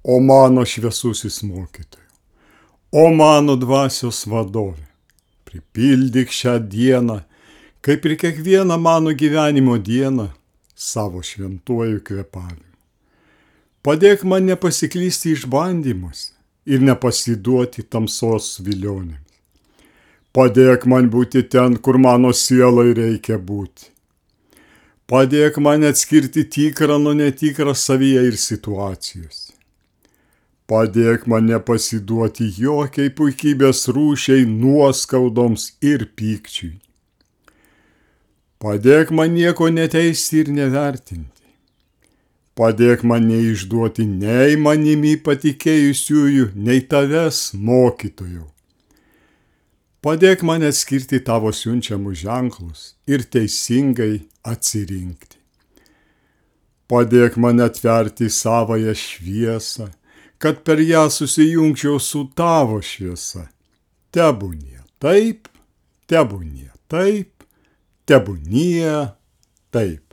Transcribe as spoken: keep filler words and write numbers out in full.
O mano šviesusis mokytojau, o mano dvasios vadovė, pripildyk šią dieną, kaip ir kiekvieną mano gyvenimo dieną, savo šventuoju kvėpavimu. Padėk man nepasiklysti išbandymuose ir nepasiduoti tamsos vilionėms. Padėk man būti ten, kur mano sielai reikia būti. Padėk man atskirti tikrą nuo netikrą savyje ir situacijose. Padėk man nepasiduoti jokiai puikybės rūšiai, nuoskaudoms ir pykčiui. Padėk man nieko neteisti ir nevertinti. Padėk man neišduoti nei manimi patikėjusiųjų, nei tavęs, mokytojau. Padėk man atskirti tavo siunčiamus ženklus ir teisingai atsirinkti. Padėk man atverti savąją šviesą, kad per ją susijungčiau su tavo šviesa. Tebūnie taip, tebūnie taip, tebūnie taip.